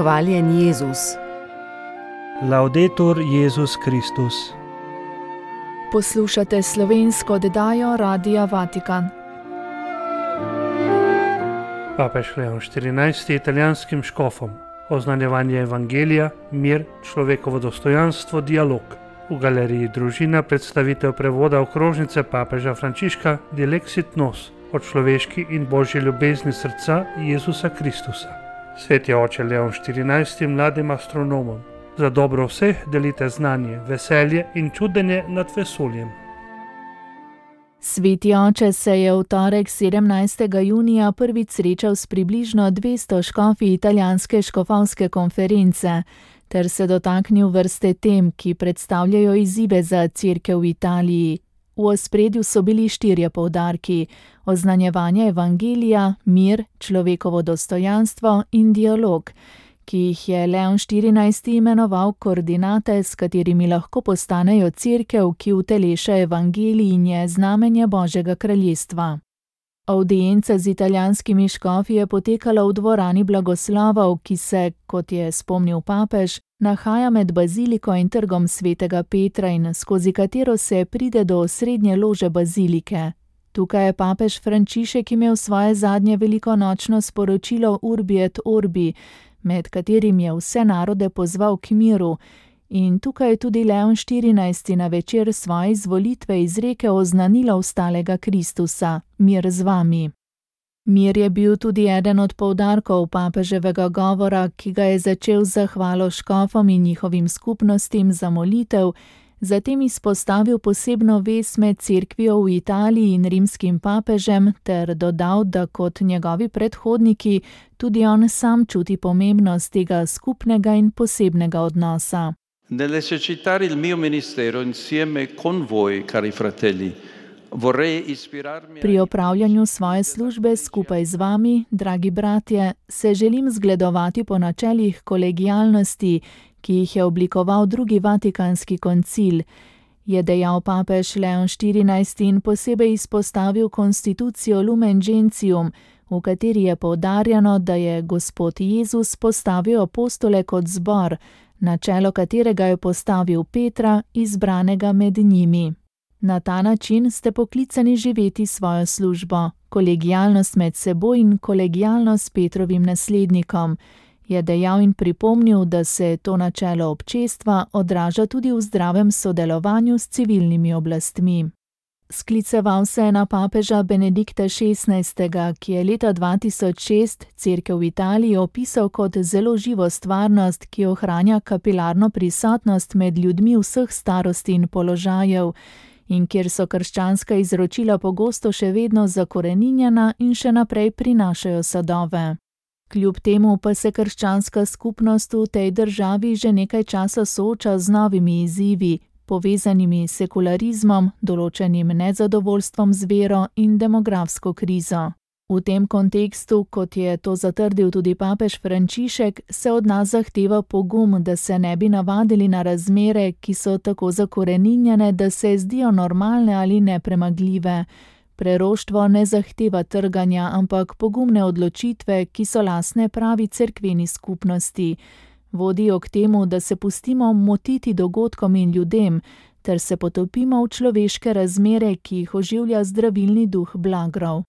Hvaljen Jezus. Laudetur Jezus Kristus. Poslušate slovensko oddajo Radia Vatikan. Papež Leon XIV je italijanskim škofom oznanjevanje evangelija, mir, človekovo dostojanstvo, dialog. V galeriji Družina predstavitev prevoda okrožnice papeža Frančiška Dilexit Nos o človeški in božji ljubezni srca Jezusa Kristusa. Sveti oče Leon XIV mladim astronomom: za dobro vseh delite znanje, veselje in čudenje nad vesoljem. Sveti oče se je v torek 17. junija prvič srečal s približno 200 škofi italijanske škofovske konference ter se dotaknil vrste tem, ki predstavljajo izzive za Cerkev v Italiji. V ospredju so bili 4 poudarki: oznanjevanje evangelija, mir, človekovo dostojanstvo in dialog, ki jih je Leon XIV imenoval koordinate, s katerimi lahko postanejo Cerkev, ki uteleša evangelij in je znamenje Božjega kraljestva. Avdienca z italijanskimi škofi je potekala v dvorani blagoslovov, ki se, kot je spomnil papež, nahaja med baziliko in trgom svetega Petra in skozi katero se pride do osrednje lože bazilike. Tukaj je papež Frančišek imel svoje zadnje velikonočno sporočilo Urbi et Orbi, med katerim je vse narode pozval k miru, in tukaj je tudi Leon XIV na večer svoje izvolitve izrekel oznanilo vstalega Kristusa: mir z vami. Mir je bil tudi eden od poudarkov papeževega govora, ki ga je začel z zahvalo škofom in njihovim skupnostim za molitev, zatem izpostavil posebno vez med cerkvijo v Italiji in rimskim papežem ter dodal, da kot njegovi predhodniki tudi on sam čuti pomembnost tega skupnega in posebnega odnosa. Nell'esercitare il mio ministero insieme con voi, cari fratelli, vorrei ispirarmi. Pri opravljanju svoje službe skupaj z vami, dragi bratje, se želim zgledovati po načelih kolegialnosti, ki jih je oblikoval drugi vatikanski koncil, je dejal papež Leon XIV in posebej izpostavil konstitucijo Lumen Gentium, v kateri je poudarjeno, da je Gospod Jezus postavil apostole kot zbor, na čelo katerega je postavil Petra, izbranega med njimi. Na ta način ste poklicani živeti svojo službo, kolegialnost med seboj in kolegialnost s Petrovim naslednikom, je dejal in pripomnil, da se to načelo občestva odraža tudi v zdravem sodelovanju s civilnimi oblastmi. Skliceval se je na papeža Benedikta XVI, ki je leta 2006 Cerkev v Italiji opisal kot zelo živo stvarnost, ki ohranja kapilarno prisotnost med ljudmi vseh starosti in položajev in kjer so krščanska izročila pogosto še vedno zakoreninjena in še naprej prinašajo sadove. Kljub temu pa se krščanska skupnost v tej državi že nekaj časa sooča z novimi izzivi, povezanimi s sekularizmom, določenim nezadovoljstvom z vero in demografsko krizo. V tem kontekstu, kot je to zatrdil tudi papež Frančišek, se od nas zahteva pogum, da se ne bi navadili na razmere, ki so tako zakoreninjene, da se zdijo normalne ali nepremagljive. Preroštvo ne zahteva trganja, ampak pogumne odločitve, ki so lastne pravi cerkveni skupnosti. Vodijo k temu, da se pustimo motiti dogodkom in ljudem, ter se potopimo v človeške razmere, ki jih oživlja zdravilni duh blagrov.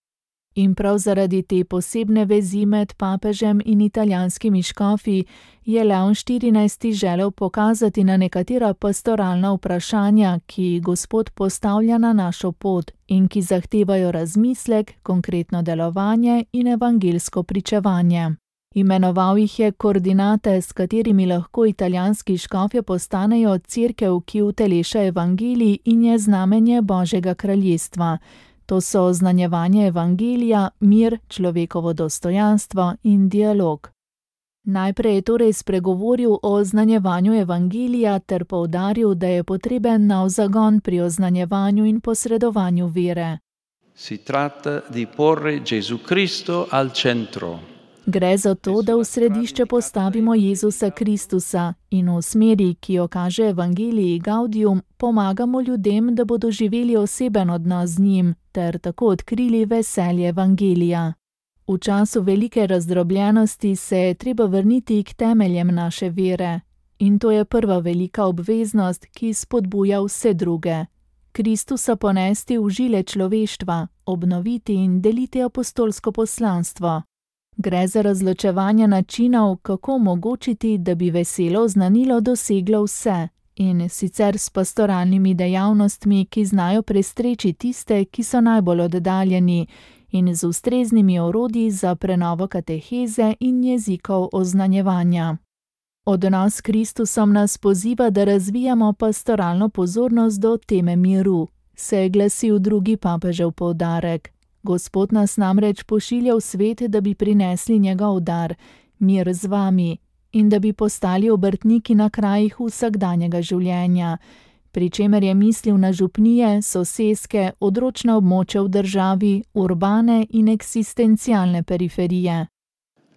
In prav zaradi te posebne vezi med papežem in italijanskimi škofi je Leon XIV želel pokazati na nekatera pastoralna vprašanja, ki jih Gospod postavlja na našo pot in ki zahtevajo razmislek, konkretno delovanje in evangelsko pričevanje. Imenoval jih je koordinate, s katerimi lahko italijanski škofje postanejo Cerkev, ki uteleša evangelij in je znamenje Božjega kraljestva. To so oznanjevanje evangelija, mir, človekovo dostojanstvo in dialog. Najprej je torej spregovoril o oznanjevanju evangelija ter poudaril, da je potreben nov zagon pri oznanjevanju in posredovanju vere. Si tratta di porre Gesù Cristo al centro. Gre za to, da v središče postavimo Jezusa Kristusa in v smeri, ki jo kaže Evangelii Gaudium, pomagamo ljudem, da bodo živeli oseben odnos z njim ter tako odkrili veselje Evangelija. V V času velike razdrobljenosti se je treba vrniti k temeljem naše vere. In to je prva velika obveznost, ki spodbuja vse druge. Kristusa ponesti v žile človeštva, obnoviti in deliti apostolsko poslanstvo. Gre za razločevanje načinov, kako omogočiti, da bi veselo oznanilo doseglo vse, in sicer s pastoralnimi dejavnostmi, ki znajo prestreči tiste, ki so najbolj oddaljeni, in z ustreznimi orodji za prenovo kateheze in jezikov oznanjevanja. Odnos s Kristusom nas poziva, da razvijamo pastoralno pozornost do teme miru, se je glasil drugi papežev poudarek. Gospod nas namreč pošilja v svet, da bi prinesli njegov dar, mir z vami, in da bi postali obrtniki na krajih vsakdanjega življenja, pri čemer je mislil na župnije, soseske, odročna območja v državi, urbane in eksistencialne periferije.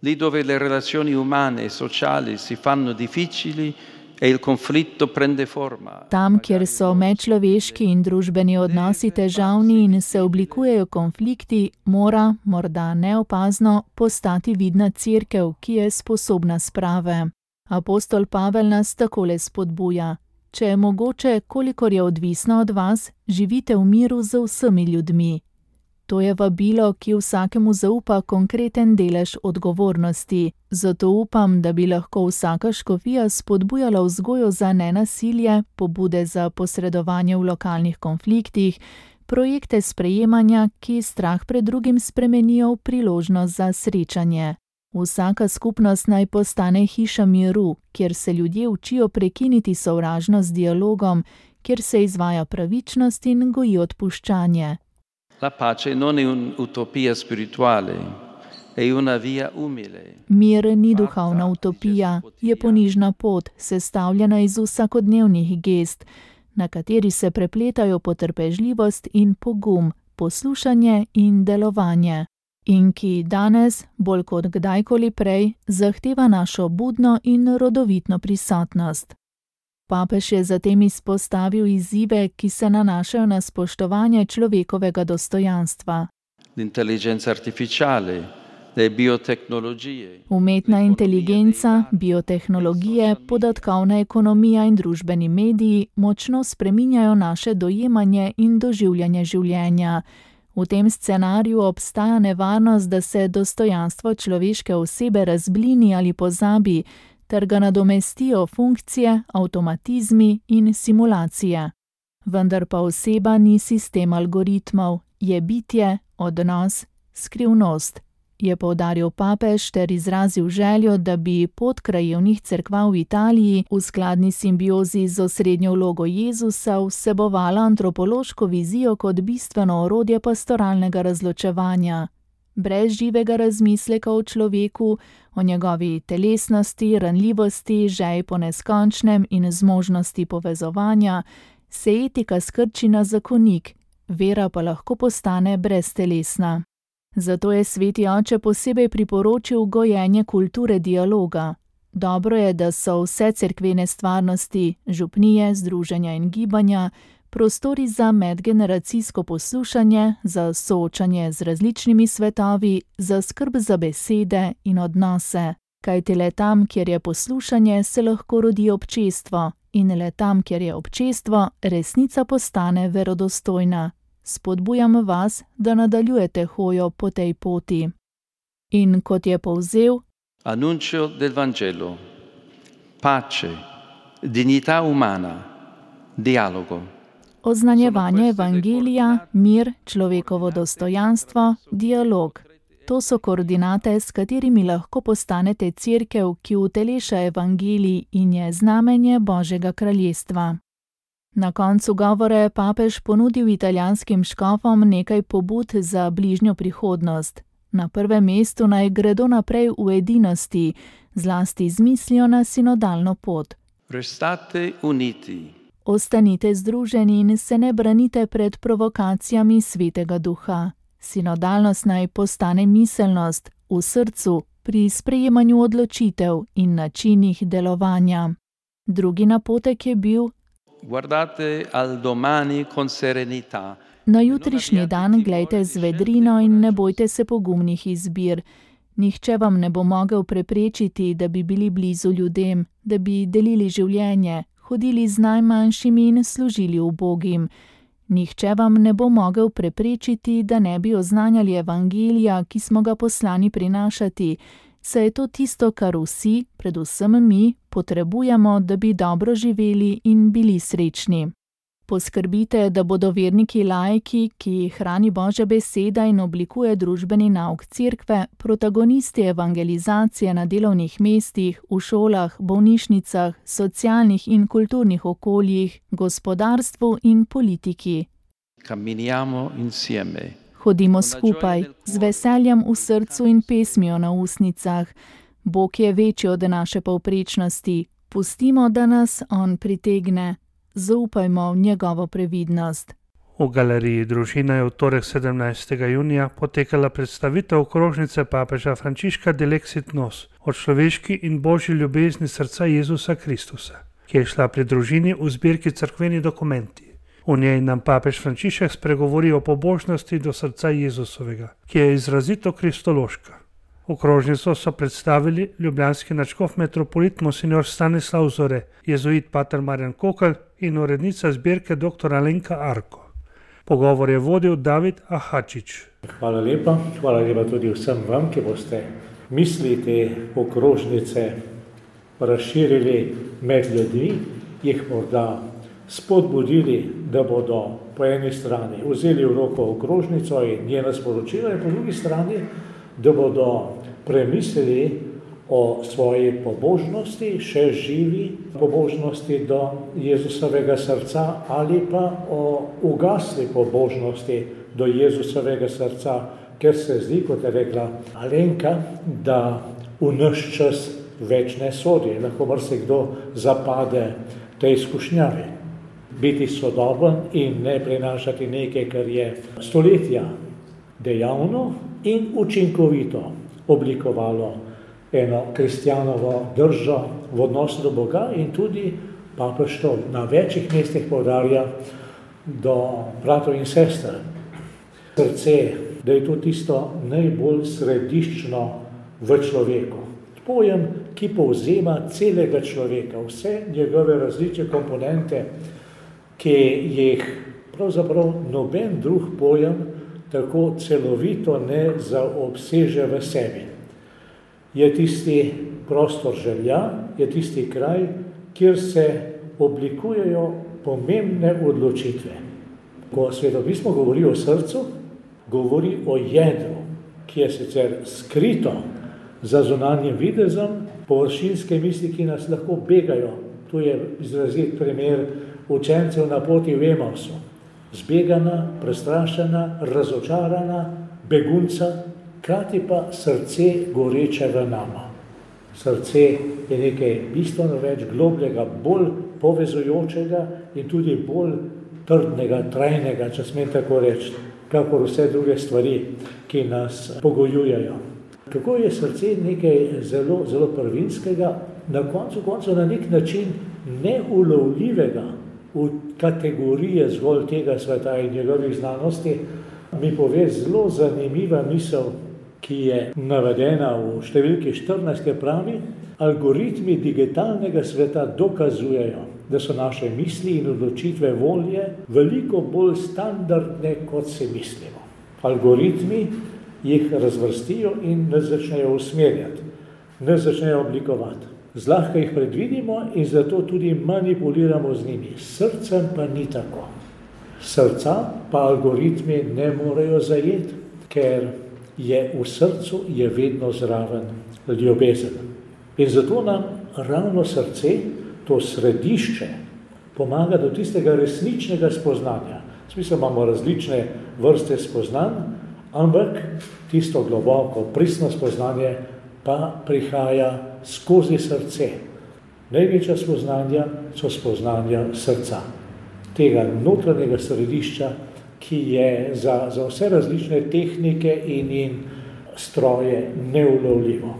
Lì dove le relazioni umane e sociali si fanno difficili e il conflitto prende forma. Tam, kjer so medčloveški in družbeni odnosi težavni in se oblikujejo konflikti, mora, morda neopazno, postati vidna cerkev, ki je sposobna sprave. Apostol Pavel nas takole spodbuja: če je mogoče, kolikor je odvisno od vas, živite v miru z vsemi ljudmi. To je vabilo, ki vsakemu zaupa konkreten delež odgovornosti. Zato upam, da bi lahko vsaka škofija spodbujala vzgojo za nenasilje, pobude za posredovanje v lokalnih konfliktih, projekte sprejemanja, ki strah pred drugim spremenijo v priložnost za srečanje. Vsaka skupnost naj postane hiša miru, kjer se ljudje učijo prekiniti sovražnost z dialogom, kjer se izvaja pravičnost in goji odpuščanje. La pace non è un'utopia spirituale, è una via umile. Mir ni duhovna utopija, je ponižna pot, sestavljena iz vsakodnevnih gest, na kateri se prepletajo potrpežljivost in pogum, poslušanje in delovanje, in ki danes, bolj kot kdajkoli prej, zahteva našo budno in rodovitno prisotnost. Papež je zatem izpostavil izzive, ki se nanašajo na spoštovanje človekovega dostojanstva. L'intelligenza artificiale, le biotecnologie. Umetna inteligenca, biotehnologije, podatkovna ekonomija in družbeni mediji močno spreminjajo naše dojemanje in doživljanje življenja. V tem scenariju obstaja nevarnost, da se dostojanstvo človeške osebe razblini ali pozabi, ter ga nadomestijo funkcije, avtomatizmi in simulacije. Vendar pa oseba ni sistem algoritmov, je bitje, odnos, skrivnost, je poudaril papež ter izrazil željo, da bi pot krajevnih cerkva v Italiji v skladni simbiozi z osrednjo vlogo Jezusa vsebovala antropološko vizijo kot bistveno orodje pastoralnega razločevanja. Brez živega razmisleka o človeku, o njegovi telesnosti, ranljivosti, žeji po neskončnem in zmožnosti povezovanja, se etika skrči na zakonik, vera pa lahko postane breztelesna. Zato je sveti oče posebej priporočil gojenje kulture dialoga. Dobro je, da so vse cerkvene stvarnosti, župnije, združenja in gibanja, prostori za medgeneracijsko poslušanje, za soočanje z različnimi svetovi, za skrb za besede in odnose. Kajti le tam, kjer je poslušanje, se lahko rodi občestvo, in le tam, kjer je občestvo, resnica postane verodostojna. Spodbujam vas, da nadaljujete hojo po tej poti. In kot je povzel: Annuncio del Vangelo, pace, dignità umana, dialogo. Oznanjevanje evangelija, mir, človekovo dostojanstvo, dialog. To so koordinate, s katerimi lahko postanete cerkev, ki uteleša evangelij in je znamenje Božjega kraljestva. Na koncu govora je papež ponudil italijanskim škofom nekaj pobud za bližnjo prihodnost. Na prvem mestu naj gredo naprej v edinosti, zlasti z mislijo na sinodalno pot. Restate uniti. Ostanite združeni in se ne branite pred provokacijami Svetega Duha. Sinodalnost naj postane miselnost v srcu pri sprejemanju odločitev in načinih delovanja. Drugi napotek je bil: Guardate al domani con serenità Na jutrišnji dan glejte z vedrino in ne bojte se pogumnih izbir. Nihče vam ne bo mogel preprečiti, da bi bili blizu ljudem, da bi delili življenje, hodili z najmanjšimi in služili ubogim. Nihče vam ne bo mogel preprečiti, da ne bi oznanjali evangelija, ki smo ga poslani prinašati, saj je to tisto, kar vsi, predvsem mi, potrebujemo, da bi dobro živeli in bili srečni. Poskrbite, da bodo verniki laiki, ki jih hrani Božja beseda in oblikuje družbeni nauk cerkve, protagonisti evangelizacije na delovnih mestih, v šolah, bolnišnicah, socialnih in kulturnih okoljih, gospodarstvu in politiki. Camminiamo insieme. Hodimo skupaj, z veseljem v srcu in pesmijo na ustnicah. Bog je večji od naše povprečnosti. Pustimo, da nas on pritegne. Zaupajmo v njegovo previdnost. V galeriji Družina je v torek 17. junija potekala predstavitev okrožnice papeža Frančiška Delexit Nos o človeški in božji ljubezni srca Jezusa Kristusa, ki je šla pri družini v zbirki Cerkveni dokumenti. V njej nam papež Frančišek spregovori o pobožnosti do srca Jezusovega, ki je izrazito kristološka. Okrožnico so predstavili ljubljanski nadškof metropolit monsignor Stanislav Zore, jezuit pater Marjan Kokelj in urednica zbirke dr. Alenka Arko. Pogovor je vodil David Ahačič. Hvala lepa tudi vsem vam, ki boste misli te okrožnice razširili med ljudmi, jih morda spodbudili, da bodo po eni strani vzeli v roko okrožnico in njena sporočila, in po drugi strani, da bodo premislili o svoji pobožnosti, še živi pobožnosti do Jezusovega srca ali pa o ugasli pobožnosti do Jezusovega srca, ker se zdi, kot je rekla Alenka, da v naš čas več ne sodi. Lahko marsikdo zapade tej izkušnjavi. Biti sodoben in ne prinašati nekaj, kar je stoletja dejavno in učinkovito oblikovalo eno kristjanovo držo v odnosu do Boga, in tudi papež to na večjih mestih poudarja do bratov in sester. Srce, da je to tisto najbolj središčno v človeku. Pojem, ki povzema celega človeka, vse njegove različne komponente, ki jih pravzaprav noben drug pojem tako celovito ne zaobseže v sebi. Je tisti prostor želja, je tisti kraj, kjer se oblikujejo pomembne odločitve. Ko Svetopismo govori o srcu, govori o jedru, ki je sicer skrito za zunanjim videzom, površinske misli, ki nas lahko begajo. Tu je izrazit primer učencev na poti v Emausu. Zbegana, prestrašena, razočarana, begunca, hkrati pa srce goreče v nama. Srce je nekaj bistveno več, globljega, bolj povezujočega in tudi bolj trdnega, trajnega, če smem tako reči, kakor vse druge stvari, ki nas pogojujejo. Kako je srce nekaj zelo, zelo prvinskega, na koncu na nek način neulovljivega v kategorije zgolj tega sveta in njegovih znanosti, mi pove zelo zanimiva misel, ki je navedena v številki 14, ki pravi: algoritmi digitalnega sveta dokazujejo, da so naše misli in odločitve volje veliko bolj standardne, kot si mislimo. Algoritmi jih razvrstijo in nas začnejo usmerjati, nas začnejo oblikovati. Zlahka jih predvidimo in zato tudi manipuliramo z njimi. S srcem pa ni tako. Srca pa algoritmi ne morejo zajeti, ker je v srcu je vedno zraven ljubezen. In zato nam ravno srce, to središče, pomaga do tistega resničnega spoznanja. Smisel, imamo različne vrste spoznanj, ampak tisto globoko, pristno spoznanje pa prihaja skozi srce. Največja spoznanja so spoznanja srca, tega notranjega središča, ki je za vse različne tehnike in stroje neulovljivo.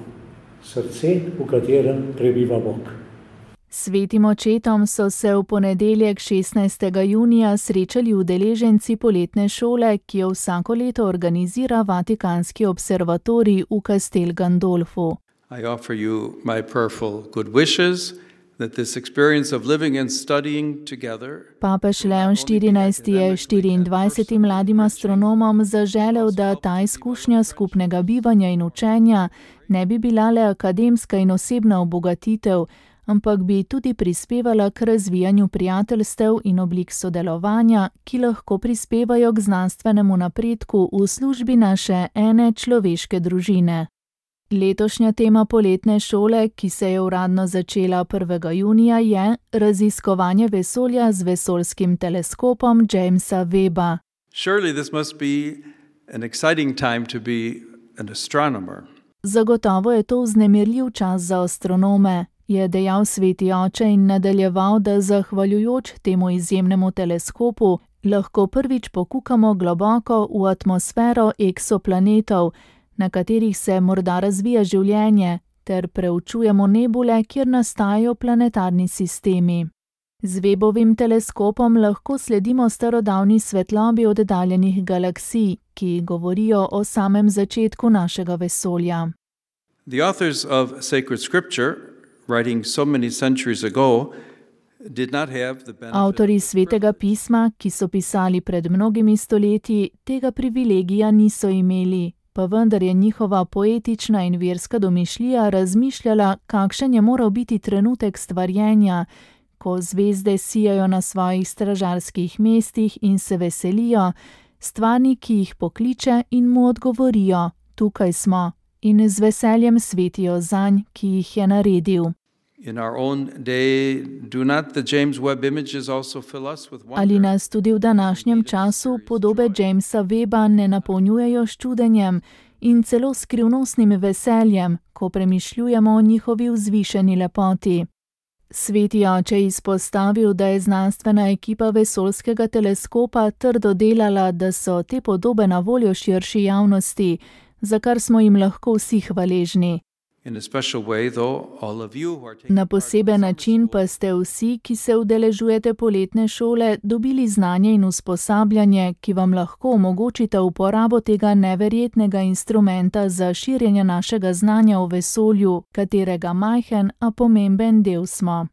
Srce, v katerem prebiva Bog. Svetim očetom so se v ponedeljek 16. junija srečali udeleženci poletne šole, ki jo vsako leto organizira Vatikanski observatorij v Castel Gandolfu. I offer you my prayerful good wishes that this experience of living and studying together. Papež Leon XIV je 24 mladim astronomom zaželel, da ta izkušnja skupnega bivanja in učenja ne bi bila le akademska in osebna obogatitev, ampak bi tudi prispevala k razvijanju prijateljstev in oblik sodelovanja, ki lahko prispevajo k znanstvenemu napredku v službi naše ene človeške družine. Letošnja tema poletne šole, ki se je uradno začela 1. junija, je raziskovanje vesolja z vesoljskim teleskopom Jamesa Webba. Surely this must be an exciting time to be an astronomer. Zagotovo je to vznemirljiv čas za astronome, je dejal sveti oče in nadaljeval, da zahvaljujoč temu izjemnemu teleskopu lahko prvič pokukamo globoko v atmosfero eksoplanetov, na katerih se morda razvija življenje, ter preučujemo nebule, kjer nastajajo planetarni sistemi. Z Webbovim teleskopom lahko sledimo starodavni svetlobi oddaljenih galaksij, ki govorijo o samem začetku našega vesolja. The authors of sacred scripture, writing so many centuries ago, did not have the benefit. Avtorji svetega pisma, ki so pisali pred mnogimi stoletji, tega privilegija niso imeli, pa vendar je njihova poetična in verska domišljija razmišljala, kakšen je moral biti trenutek stvarjenja, ko zvezde sijajo na svojih stražarskih mestih in se veselijo, stvarniki jih pokliče in mu odgovorijo: tukaj smo, in z veseljem svetijo zanj, ki jih je naredil. In our own day, do not the James Webb images also fill us with wonder? Ali nas tudi v današnjem času podobe Jamesa Webba ne napolnjujejo s čudenjem in celo skrivnostnim veseljem, ko premišljujemo o njihovi vzvišeni lepoti? Sveti oče je izpostavil, da je znanstvena ekipa vesoljskega teleskopa trdo delala, da so te podobe na voljo širši javnosti, za kar smo jim lahko vsi hvaležni. Na poseben način pa ste vsi, ki se udeležujete poletne šole, dobili znanje in usposabljanje, ki vam lahko omogočita uporabo tega neverjetnega instrumenta za širjenje našega znanja o vesolju, katerega majhen, a pomemben del smo.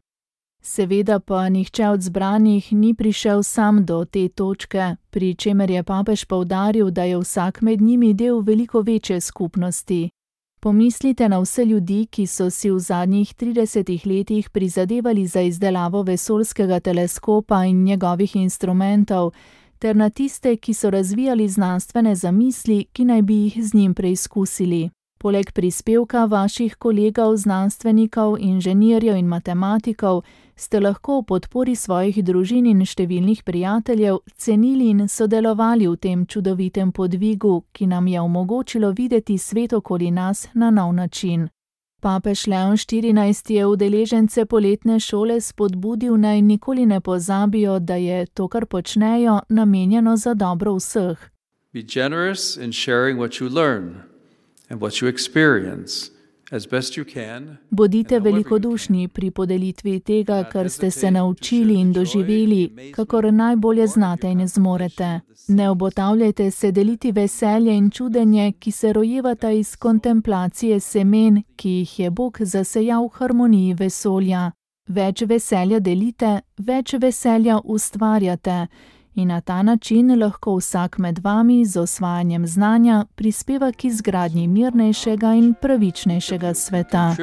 Seveda pa nihče od zbranih ni prišel sam do te točke, pri čemer je papež poudaril, da je vsak med njimi del veliko večje skupnosti. Pomislite na vse ljudi, ki so si v zadnjih 30 letih prizadevali za izdelavo vesoljskega teleskopa in njegovih instrumentov, ter na tiste, ki so razvijali znanstvene zamisli, ki naj bi jih z njim preizkusili. Poleg prispevka vaših kolegov, znanstvenikov, inženirjev in matematikov, ste lahko v podpori svojih družin in številnih prijateljev cenili in sodelovali v tem čudovitem podvigu, ki nam je omogočilo videti svet okoli nas na nov način. Papež Leon XIV je udeležence poletne šole spodbudil, naj nikoli ne pozabijo, da je to, kar počnejo, namenjeno za dobro vseh. Be generous in sharing what you learn and what you experience as best you can. Bodite velikodušni pri podelitvi tega, kar ste se naučili in doživeli, kakor najbolje znate in zmorete. Ne obotavljajte se deliti veselje in čudenje, ki se rojevata iz kontemplacije semen, ki jih je Bog zasejal v harmoniji vesolja. Več veselja delite, več veselja ustvarjate. In na ta način lahko vsak med vami z osvajanjem znanja prispeva k izgradnji mirnejšega in pravičnejšega sveta.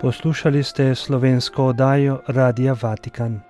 Poslušali ste slovensko oddajo Radia Vatikan.